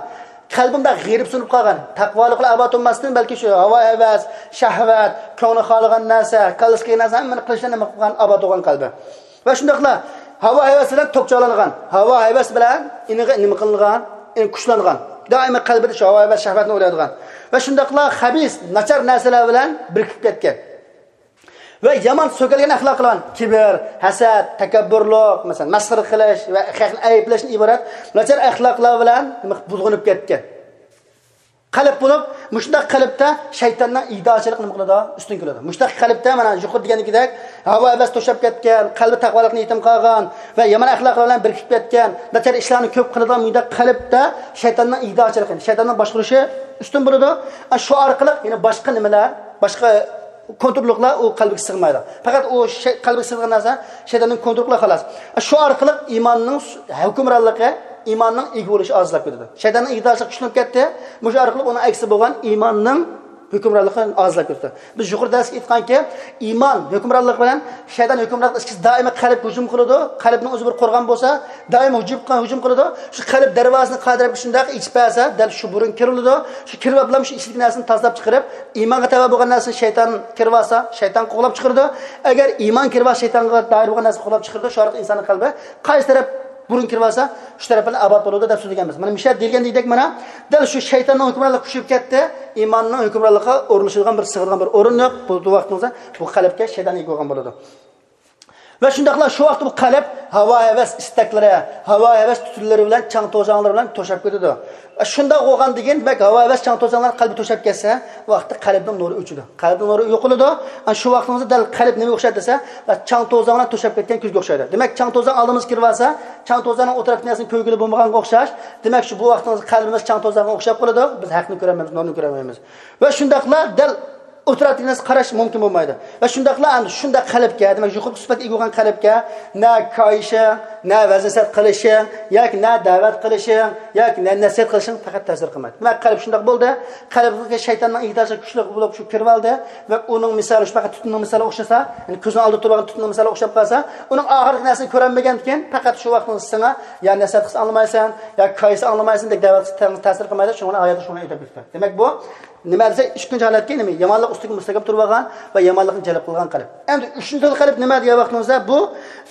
قەلبىمدە غېرىبسىنىپ قالغان. تەقۋالىقلا ئاباد بولماستىن، بەلكى شۇ ھاۋا ھەۋەس، شەھۋەت، كۆڭلى خالىغان نەرسە، كاللىسىغا كەلگەن نەرسە ھەممىنى قىلىشتىن نېمە قىلغان، ئاباد بولغان قەلبى. ۋە شۇنداقلا ھاۋا ھەۋەس بىلەن توپچالانغان، ھاۋا ھەۋەس بىلەن ئېنىغا نېمە قىلىنغان، ئېنى كۈچلەنغەن. دائىما قەلبىدە شۇ ھاۋا ھەۋەس شەھۋەتنى ئويلايدىغان. ۋە شۇنداقلا خەبىس، ناچار نەرسىلەر بىلەن بىرىكىپ كەتكەن. ۋە يامان سۆكەلگەن ئەخلاق قىلغان، كىبىر، ھەسەت، تەكەببۇرلۇق، مەسىلەن، مەسخىرە قىلىش ۋە خەقنى ئەيىبلەشتىن ئىبارەت ناچار ئەخلاقلار بىلەن نېمە بۇلغىنىپ كەتكەن. قەلب بولۇپ، مۇشۇنداق قەلبتە شەيتاننىڭ ئىگىدارچىلىقى نېمە قىلىدۇ؟ ئۈستۈن كېلىدۇ. مۇشۇنداق قەلبتە، مانا، يۇقىرىدا دېگىنىدەك، ھاۋا ھەۋەس توشاپ كەتكەن، قەلبى تەقۋالىقنى يېتىم قالغان ۋە يامان ئەخلاقلار بىلەن بىرىكىپ كەتكەن، ناچار ئىشلارنى كۆپ قىلىدىغان مۇنداق قەلبتە شەيتاننىڭ ئىگىدارچىلىقى، شەيتاننىڭ باشقۇرۇشى ئۈستۈن بولىدۇ. ئا، شۇ ئارقىلىق يەنە باشقا نېمىلەر، باشقا كونتروللۇقلار ئۇ قەلبىگە سىغمايدۇ. پەقەت ئۇ شەي-، قەلبىگە سىغىدىغان نەرسە شەيتاننىڭ كونتروللۇقى، خالاس. شۇ ئارقىلىق ئىماننىڭ سۇ-، ھۆكۈمرانلىقى، ئىماننىڭ ئىگە بولۇشى ئازلاپ كېتىدۇ. شەيتاننىڭ ئىگىدارچىلىقى كۈچلىنىپ كەتتى. مۇشۇ ئارقىلىق ئۇنىڭ ئەكسى بولغان ئىماننىڭ ھۆكۈمرانلىقى ئازلاپ كېتىدۇ. بىز يۇقىرىدا دەرس ئېيتقانكى، ئىمان ھۆكۈمرانلىقى بىلەن شەيتان ھۆكۈمرانلىقى ئىككىسى دائىما قەلبكە ھۇجۇم قىلىدۇ. قەلبنىڭ ئۆزى بىر قورغان بولسا، دائىما ھۇجۇم، ھۇجۇم قىلىدۇ. شۇ قەلب دەرۋازىسىنى قايسى تەرەپكە شۇنداق ئېچىپ بەرسە، دەل شۇ بۇرۇن كىرىلىدۇ. شۇ كىرىۋاپلا شۇ ئىچىدىكى نەرسىنى تازىلاپ چىقىرىپ، ئىمانغا تەۋە بولغان نەرسىنى شەيتان كىرىۋالسا، شەيتان قوغلاپ چىقىرىدۇ. ئەگەر ئىمان كىرىۋالسا، شەيتانغا دائىر بولغان نەرسىنى قوغلاپ چىقىرىدۇ. شۇ ئارقىلىق ئىنساننىڭ قەلبى قايسى تەرەپ بۇرۇن كىرىۋالسا، شۇ تەرەپ بىلەن ئاباد بولىدۇ دەپ سۆزلىگەنمىز. مانا مۇشۇ يەردە دېيىلگەندەك، مانا دەل شۇ شەيتاننىڭ ھۆكۈمرانلىقى كۈچىيىپ كەتتى، ئىماننىڭ ھۆكۈمرانلىقىغا ئورۇنلىشىدىغان بىر، سىغىدىغان بىر ئورۇنلۇق بۇ، بۇ ۋاقتىمىزدا بۇ قەلبكە شەيتان ئىگە بولغان بولىدۇ. ۋە شۇنداقلا شۇ ۋاقىتتا بۇ قەلب ھاۋا ھەۋەس ئىستەكلىرى، ھاۋا ھەۋەس تۈتۈنلىرى بىلەن، چاڭ توزاڭلىرى بىلەن توشاپ كېتىدۇ. شۇنداق بولغاندىن كېيىن، دېمەك، ھاۋا ھەۋەس، چاڭ توزاڭلار قەلبى توشاپ كەتسە، ۋاقىتتا قەلبنىڭ نۇرى ئۆچىدۇ. قەلبنىڭ نۇرى يوقىلىدۇ. ئەنە شۇ ۋاقتىمىزدا دەل قەلب نېمىگە ئوخشايدۇ دېسە، چاڭ توزاڭ بىلەن توشاپ كەتكەن كۆزگە ئوخشايدۇ. دېمەك، چاڭ توزاڭ ئالدىمىزغا كىرىۋالسا، چاڭ توزاڭنىڭ ئۇ تەرەپتىكى نەرسىنى كۆرگىلى بولمىغانغا ئوخشاش. دېمەك، شۇ بۇ ۋاقتىمىزدا قەلبىمىز چاڭ توزاڭغا ئوخشاپ قالىدۇ. بىز ھەقنى كۆرەلمەيمىز، نۇرنى كۆرەلمەيمىز. ۋە شۇنداقلا دەل ئوتتۇرا ئەتىگە نەرسە قاراش مۇمكىن بولمايدۇ. ۋە شۇنداقلا ئەمدى شۇنداق قەلبكە، دېمەك، يۇقىرىقى سۈپەتكە ئىگە بولغان قەلبكە نە كايىشىڭ، نە ۋەز نەسىھەت قىلىشىڭ، ياكى نە دەۋەت قىلىشىڭ، ياكى نە نەسىھەت قىلىشىڭ پەقەت تەسىر قىلمايدۇ. دېمەك، قەلب شۇنداق بولدى، قەلبكە شەيتاننىڭ ئىگىدارچىلىقى كۈچلۈك بولۇپ شۇ كىرىۋالدى ۋە ئۇنىڭ مىسالى شۇ پەقەت تۈتۈننىڭ مىسالىغا ئوخشىسا، يەنى كۆزنىڭ ئالدىدا تۇرۇۋالغان تۈتۈننىڭ مىسالىغا ئوخشاپ قالسا، ئۇنىڭ ئاخىرقى نەرسىنى كۆرەلمىگەندىكىن، پەقەت شۇ ۋاقىتنىڭ ساڭا يا نەسىھەت قىلسا ئاڭلىمايسەن، يا كايىسا ئاڭلىمايسەن، دەك دەۋەت قىلسا تەسىر قىلمايدۇ، شۇنىڭ بىلەن ھاياتى شۇنىڭ ئۆتۈپ كېتىدۇ. دېمەك، بۇ نېمە دېسە، ئىككىنچى ھالەتكە نېمە؟ يامانلىق ئۈستىگە مۇستەھكەم تۇرۇۋالغان ۋە يامانلىقنى جەلپ قىلغان قەلب. ئەمدى ئۈچىنچى خىل قەلب نېمە دېگەن ۋاقتىمىزدا، بۇ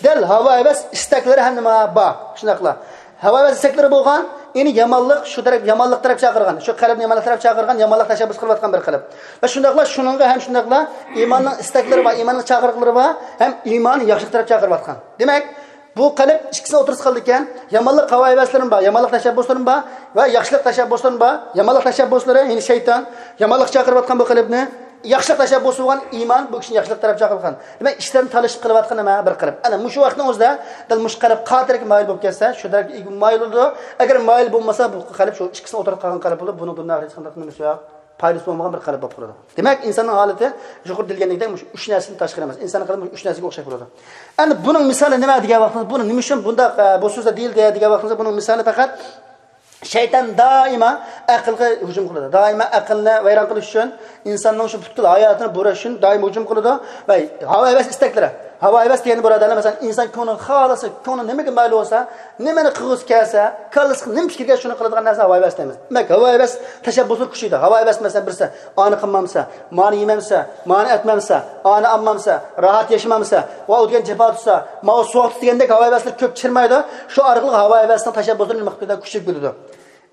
دەل ھاۋا ھەۋەس ئىستەكلىرى ھەم نېمە بار؟ شۇنداقلا ھاۋا ھەۋەس ئىستەكلىرى بولغان، يەنى يامانلىق شۇ تەرەپ، يامانلىق تەرەپ چاقىرغان، شۇ قەلبنى يامانلىق تەرەپ چاقىرغان، يامانلىق تەشەببۇس قىلىۋاتقان بىر قەلب. ۋە شۇنداقلا شۇنىڭغا ھەم شۇنداقلا ئىماننىڭ ئىستەكلىرى بار، ئىماننىڭ چاقىرىقلىرى بار، ھەم ئىمان ياخشىلىق تەرەپ چاقىرىۋاتقان. دېمەك، بۇ قەلب ئىككىسىنىڭ ئوتتۇرىسىغا قالىدىكەن، يامانلىق ھاۋا ھەۋەسلىرىمۇ بار، يامانلىق تەشەببۇسلىرىمۇ بار ۋە ياخشىلىق تەشەببۇسلىرىمۇ بار. يامانلىق تەشەببۇسلىرى، يەنى شەيتان، يامانلىق چاقىرىۋاتقان بۇ قەلبنى، ياخشىلىق تەشەببۇسى بولغان ئىمان بۇ كىشىنى ياخشىلىق تەرەپ چاقىرغان. دېمەك، ئىشلارنى تالىشىپ قىلىۋاتقان نېمە بىر قەلب. ئەنە مۇشۇ ۋاقىتنىڭ ئۆزىدە دەل مۇشۇ قەلب قايسى تەرەپكە مايىل بولۇپ كەتسە، شۇ تەرەپكە مايىل بولىدۇ. ئەگەر مايىل بولمىسا، بۇ قەلب شۇ ئىككىسىنىڭ ئوتتۇرىغا قالغان قەلب بولىدۇ. بۇنىڭ دۇنيا ئاخىرەتتە ھېچقانداق نېمىسى يوق. پايدىسى بولمىغان بىر قەلب بولۇپ قالىدۇ. دېمەك، ئىنساننىڭ ھالىتى يۇقىرىدا دېيىلگەندەك مۇشۇ ئۈچ نەرسىدىن تاشقىرى ئەمەس. ئىنساننىڭ قەلبى مۇشۇ ئۈچ نەرسىگە ئوخشاش بولىدۇ. ئەمدى بۇنىڭ مىسالى نېمە دېگەن ۋاقتىمىزدا، بۇنى نېمە ئۈچۈن بۇنداق، ئە، بۇ سۆزدە دېيىلدى دېگەن ۋاقتىمىزدا، بۇنىڭ مىسالى پەقەت شەيتان دائىما ئەقىلگە ھۇجۇم قىلىدۇ. دائىما ئەقىلنى ۋەيران قىلىش ئۈچۈن ئىنساننىڭ شۇ پۈتكۈل ھاياتىنى بۇراش ئۈچۈن دائىم ھۇجۇم قىلىدۇ. ۋە ھاۋا ھەۋەس ئىستەكلىرى. ھاۋا ھەۋەس دېگەندە، بۇرادەرلەر، مەسىلەن، ئىنسان كۆڭلى خالىسا، كۆڭلى نېمىگە مايىل بولسا، نېمىنى قىلغۇسى كەلسە، كاللىسىغا نېمە پىكىر كەلسە، شۇنى قىلىدىغان نەرسە ھاۋا ھەۋەس دەيمىز. دېمەك، ھاۋا ھەۋەس تەشەببۇسى كۈچىيىدۇ. ھاۋا ھەۋەس، مەسىلەن، بىرسى ئانى قىلمامسا، مانى يېمەمسە، ئانى ئالمامسا، راھەت ياشىمامسا، ۋە ئۇ دېگەن جاپا تۇتسا، ماۋۇ سوغۇق دېگەندەك ھاۋا ھەۋەسلەر كۆپ چىرمايدۇ. شۇ ئارقىلىق ھاۋا ھەۋەسنىڭ تەشەببۇسلىرى نېمە قىلىپ كېتىدۇ؟ كۈچىيىپ كېتىدۇ.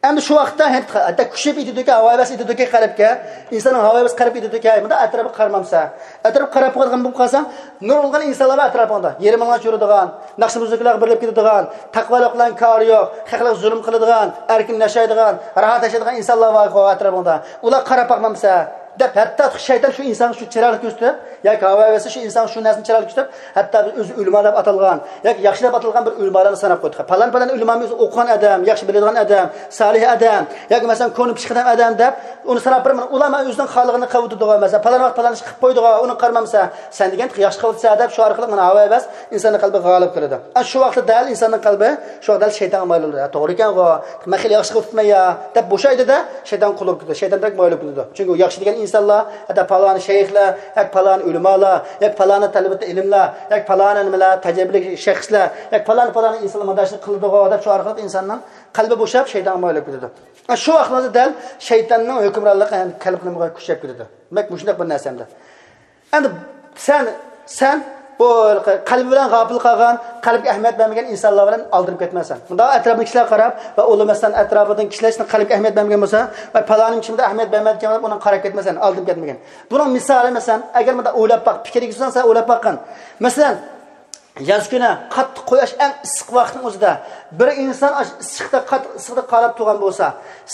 ئەمدى شۇ ۋاقىتتا ھەتتا كۈچىيىپ ئېيتىدۇكى، ھاۋا ھەۋەس ئېيتىدۇكى قەلبكە، ئىنساننىڭ ھاۋا ھەۋەس قەلب ئېيتىدۇكى، مۇنداق ئەتراپقا قارىمامسەن؟ ئەتراپقا قاراپ بولغان بولۇپ قالساڭ، نۇرغۇنلىغان ئىنسانلار بار ئەتراپىڭدا. يېرىم ماڭا چۈرىدىغان، ناخشا مۇزىكىلارغا بېرىلىپ كېتىدىغان، تەقۋالىق بىلەن كارى يوق، خەقلەرگە زۇلۇم قىلىدىغان، ئەركىن ياشايدىغان، راھەت ياشايدىغان ئىنسانلار بار ئەتراپىڭدا. ئۇلارغا قاراپ باقمامسەن؟ دەپ، ھەتتا شەيتان شۇ ئىنسانغا شۇ چىرايلىق كۆرسىتىپ، ياكى ھاۋا ھەۋەسى شۇ ئىنسانغا شۇ نەرسىنى چىرايلىق كۆرسىتىپ، ھەتتا بىز ئۆزى ئۆلىما دەپ ئاتالغان ياكى ياخشى دەپ ئاتالغان بىر ئۆلىمالارنى ساناپ قويدۇق. پالان، پالان ئۆلىمامۇ ئۆزى ئوقۇغان ئادەم، ياخشى بىلىدىغان ئادەم، سالىھ ئادەم ياكى مەسىلەن كونا پىشقىدەم ئادەم دەپ ئۇنى ساناپ بېرىمەن. ئۇلار مانا ئۆزىنىڭ خالىغىنى قىلىۋېتىدىغۇ، مەسىلەن پالان ۋاقىت پالان ئىش قىلىپ قويدىغۇ، ئۇنى قارىمامسەن، سەن دېگەن ياخشى قىلىۋاتىسەن دەپ شۇ ئارقىلىق مانا ھاۋا ھەۋەس ئىنساننىڭ قەلبىگە غالىب كېلىدۇ. ئەنە شۇ ۋاقىتتا دەل ئىنساننىڭ قەلبى شۇ ۋاقىت دەل شەيتانغا مايىل بولىدۇ. ھە، توغرا ئىكەنغۇ، مەن خېلى ياخشى قىلىپ ئۆتۈپمەن يا، دەپ بوشايدۇ-دە، شەيتان قۇل بولۇپ كېتىدۇ. شەيتان دەرەك مايىل بولۇپ كېتىدۇ. چۈنكى ئۇ ياخشى دېگەن ئىنسانلار، ھەتتا پالانى شەيخلەر، ياكى پالانى ئۆلىمالار، ياكى پالانى تەلىبىتى ئىلىملار، ياكى پالانى نېمىلەر، تەجرىبىلىك شەخسلەر، ياكى پالانى، پالانى ئىنسانلار مۇنداق ئىشنى قىلىدىغۇ، دەپ شۇ ئارقىلىق ئىنساننىڭ قەلبى بوشاپ، شەيتانغا مايىل بولۇپ كېتىدۇ. شۇ ۋاقىتلاردا دەل شەيتاننىڭ ھۆكۈمرانلىقى قەلبىڭىزگە كۈچەپ كېتىدۇ. دېمەك، مۇشۇنداق بىر نەرسە ئەمدى. ئەمدى سەن، سەن بۇ قەلبى بىلەن غاپىل قالغان، قەلبىگە ئەھمىيەت بەرمىگەن ئىنسانلار بىلەن ئالدىنىپ كەتمەسەن. مۇنداق ئەتراپىدىكى كىشىلەرگە قاراپ ۋە ئۇلار مەسىلەن ئەتراپىدىكى كىشىلەر سېنىڭ قەلبىگە ئەھمىيەت بەرمىگەن بولسا ۋە پالانىم كىشىمۇ ئەھمىيەت بەرمەيدىكەن دەپ ئۇنىڭغا قاراپ كەتمەسەن، ئالدىنىپ كەتمىگىن. بۇنىڭ مىسالى مەسىلەن، ئەگەر مۇنداق ئويلاپ باق، پىكىر يۈرگۈزسەڭ سەن ئويلاپ باققىن. مەسىلەن، ياز كۈنى قاتتىق قۇياش ئەڭ ئىسسىق ۋاقىتنىڭ ئۆزىدە بىر ئىنسان ئاشۇ ئىسسىقتا، قاتتىق ئىسسىقتا قالاپ تۇرغان بولسا،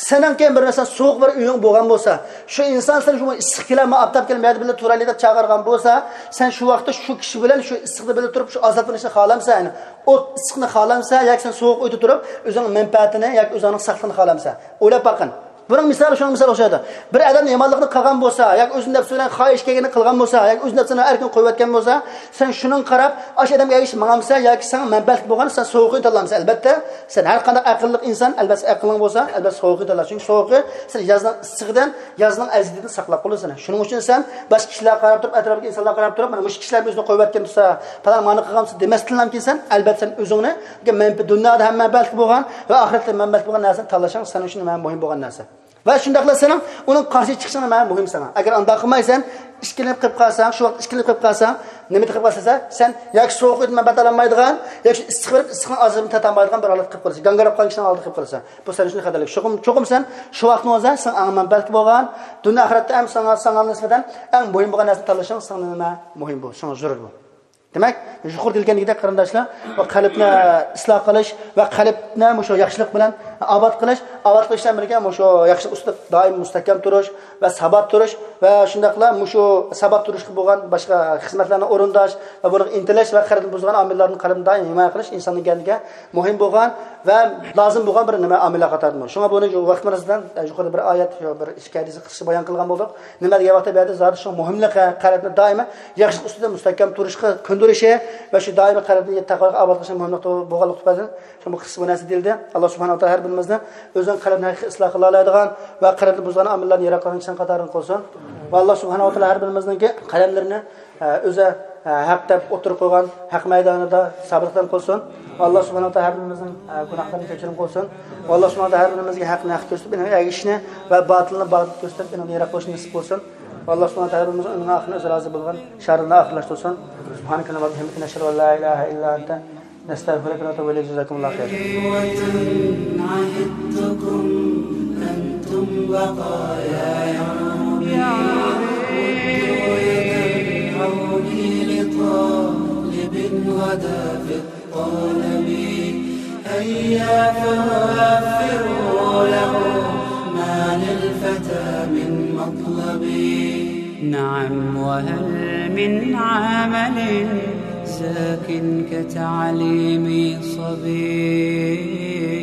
سېنىڭكى بىر مەسىلەن سوغۇق بىر ئۆيۈڭ بولغان بولسا، شۇ ئىنسان سەن شۇ ئىسسىق كېلە، مەن ئاپتاپ كېلە، مەيدە بىللە تۇرايلى دەپ چاقىرغان بولسا، سەن شۇ ۋاقىتتا شۇ كىشى بىلەن شۇ ئىسسىقتا بىللە تۇرۇپ شۇ ئازابنى خالامسەن؟ يەنى ئوت ئىسسىقنى خالامسەن ياكى سەن سوغۇق ئۆيدە تۇرۇپ ئۆزۈڭ مەنپەئەتىنى ياكى ئۆزۈڭنىڭ ساقلىقىنى خالامسەن؟ ئويلاپ باققىن. بۇنىڭ مىسالى شۇنىڭ مىسالى ئوخشايدۇ. بىر ئادەم يامانلىقنى قىلغان بولسا ياكى ئۆزىنىڭ نەپسى بىلەن خاھىش كەلگىنىنى قىلغان بولسا ياكى ئۆز نەپسىنى ئەركىن قويۇۋەتكەن بولسا، سەن شۇنىڭغا قاراپ ئاشۇ ئادەمگە ئەگىشىپ ماڭامسەن ياكى ساڭا مەنپەئەتلىك بولغان سەن سوغۇقىنى تاللامسەن؟ ئەلۋەتتە، سەن ھەر قانداق ئەقىللىق ئىنسان، ئەلۋەتتە ئەقلىڭ بولسا ئەلۋەتتە سوغۇقىنى تاللا. چۈنكى سوغۇقى سەن يازنىڭ ئىسسىقىدىن، يازنىڭ ئەزىيىتىدىن ساقلاپ قالىدۇ سېنى. شۇنىڭ ئۈچۈن سەن باشقا كىشىلەرگە قاراپ تۇرۇپ، ئەتراپتىكى ئىنسانلارغا قاراپ تۇرۇپ، مانا مۇشۇ كىشىلەر ئۆزىنى قويۇۋەتكەن تۇرسا، پالان مانا قىلغانسىز دېمەستىنلا كېيىن سەن ئەلۋەتتە سەن ئۆزۈڭنى مەنپە-، دۇنيادا ھەم مەنپەئەتلىك بولغان ۋە ئاخىرەتتە مەنپەئەتلىك بولغان نەرسىنى تاللىشىڭ سەن ئۈچۈن مۇھىم بولغان نەرسە. ۋە شۇنداقلا سېنىڭ ئۇنىڭ قارشى چىقىشىڭ مانا مۇھىم ساڭا. ئەگەر ئانداق قىلمايسەن، ئىككىلىنىپ قېلىپ قالساڭ، شۇ ۋاقىت ئىككىلىنىپ قېلىپ قالساڭ، نېمە قىلىپ قالىسەن سەن؟ ياكى سوغۇق ئۆيدىن مەنپەئەت ئالالمايدىغان، ياكى شۇ ئىسسىق بېرىپ ئىسسىقنىڭ ئازابىنى تارتالمايدىغان بىر ھالەتكە قېلىپ قالىسەن. گاڭگىراپ قالغان كىشىنىڭ ھالىتىگە قېلىپ قالىسەن. بۇ سەن ئۈچۈن خەتەرلىك. چوقۇم، چوقۇم سەن شۇ ۋاقىتنىڭ ئۆزىدە سېنىڭ ئەڭ مەنپەئەتلىك بولغان، دۇنيا ئاخىرەتتە ھەم ساڭا، ساڭا نىسبەتەن ئەڭ مۇھىم بولغان نەرسىنى تاللىشىڭ ساڭا نېمە مۇھىم بۇ، ساڭا زۆرۈر بۇ. دېمەك، يۇقىرىدا دېيىلگەندەك قېرىنداشلار، بۇ قەلبنى ئىسلاھ قىلىش ۋە قەلبنى مۇشۇ ياخشىلىق بىلەن ئاباد قىلىش، ئاباد قىلىش بىلەن بىرگە مۇشۇ ياخشىلىق ئۈستىدە دائىم مۇستەھكەم تۇرۇش ۋە سابات تۇرۇش ۋە شۇنداقلا مۇشۇ سابات تۇرۇشقا بولغان باشقا خىزمەتلەرنى ئورۇنداش ۋە بۇنىڭغا ئىنتىلىش ۋە قەلبنى بۇزىدىغان ئامىللاردىن قەلبنى دائىم ھىمايە قىلىش ئىنساننىڭ كەينىگە مۇھىم بولغان ۋە لازىم بولغان بىر نېمە ئامىللار قاتارىدىمۇ. شۇڭا بۇنى ۋاقىت مۇناسىۋىتىدىن يۇقىرىدا بىر ئايەت، بىر ئىككى ھەدىسنى قىسقىچە بايان قىلغان بولدۇق. نېمە دېگەن ۋاقىتتا بۇ يەردە زادى شۇ مۇھىملىقى، قەلبنى دائىما ياخشىلىق ئۈستىدە مۇستەھكەم تۇرۇشقا كۆندۈرۈشى ۋە شۇ دائىما قەلبنى تەقۋاغا ئاباد قىلىشنىڭ مۇھىملىقى بولغانلىقى تۈپەيلىدىن شۇ بۇ قىسقا بۇ نەرسە دېيىلدى. ئاللا سۇبھانەھۇ ۋە تائالا ھەر بىرىمىزنى ئۆزىنىڭ قەلبىنى ھەقىقىي ئىسلاھ قىلالايدىغان ۋە قەلبنى بۇزغان ئامىللارنى يىراق قىلغان كىشىلەرنىڭ قاتارىدىن قىلسۇن. ۋە ئاللا سۇبھانەھۇ ۋە تائالا ھەر بىرىمىزنىڭكى قەلەملىرىنى ئە، ئۆزى، ئە، ھەق دەپ ئوتتۇرىغا قويغان ھەق مەيدانىدا سابىتقەدەم قىلسۇن. ئاللا سۇبھانەھۇ ۋە تائالا ھەر بىرىمىزنىڭ، ئە، گۇناھلىرىنى كەچۈرۈم قىلسۇن. ئاللا سۇبھانەھۇ ۋە تائالا ھەر بىرىمىزگە ھەقنى ھەق كۆرسىتىپ، ئېنىڭغا ئەگىشىشنى ۋە باتىلنى باتىل كۆرسىتىپ، ئېنىڭدىن يىراق بولۇشنى نېسىپ قىلسۇن. ئاللا سۇبھانەھۇ ۋە تائالا ھەر بىرىمىزنىڭ ئۆمرىنىڭ ئاخىرىنى ئۆزى رازى بولغان شەھىرىدە ئاخىرلاشتۇرسۇن. سۇبھانەكە اللەھۇممە ۋە بىھەمدىكە، نەشھەدۇ ئەن لا ئىلاھە ئىللا ئەنتە، نستغفرك ونتوب إليك. جزاكم الله خير. عهدتكم أنتم بقايا يا ربي، ردوا يد العون لطالب غدا في الطلب. هيا فوفروا له ما للفتى من مطلب. نعم، وهل من عمل زاك كتعليم صبي؟